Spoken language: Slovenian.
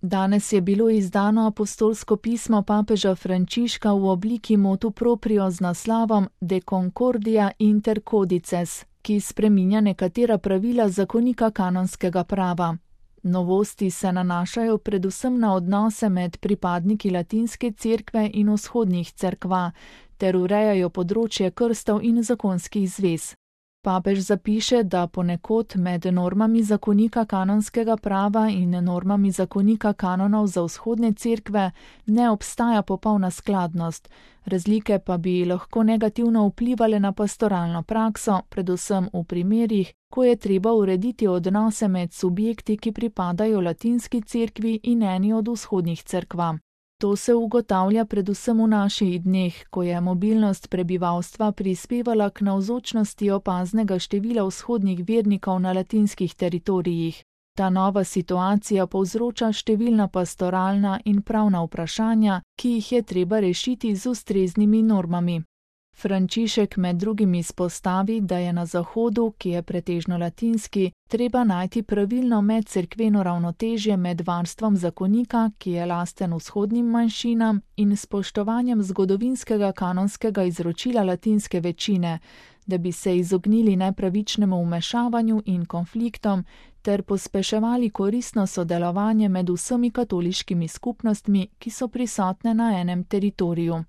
Danes je bilo izdano apostolsko pismo papeža Frančiška v obliki motu proprio z naslovom De Concordia Inter Codices, ki spreminja nekatera pravila zakonika kanonskega prava. Novosti se nanašajo predvsem na odnose med pripadniki latinske cerkve in vzhodnih cerkva, ter urejajo področje krstov in zakonskih zvez. Papež zapiše, da ponekod med normami zakonika kanonskega prava in normami zakonika kanonov za vzhodne cerkve ne obstaja popolna skladnost, razlike pa bi lahko negativno vplivale na pastoralno prakso, predvsem v primerih, ko je treba urediti odnose med subjekti, ki pripadajo latinski cerkvi in eni od vzhodnih cerkva. To se ugotavlja predvsem v naših dneh, ko je mobilnost prebivalstva prispevala k navzočnosti opaznega števila vzhodnih vernikov na latinskih teritorijih. Ta nova situacija povzroča številna pastoralna in pravna vprašanja, ki jih je treba rešiti z ustreznimi normami. Frančišek med drugim izpostavi, da je na Zahodu, ki je pretežno latinski, treba najti pravilno medcerkveno ravnotežje med varstvom zakonika, ki je lasten vzhodnim manjšinam, in spoštovanjem zgodovinskega kanonskega izročila latinske večine, da bi se izognili nepravičnemu vmešavanju in konfliktom ter pospeševali koristno sodelovanje med vsemi katoliškimi skupnostmi, ki so prisotne na enem teritoriju.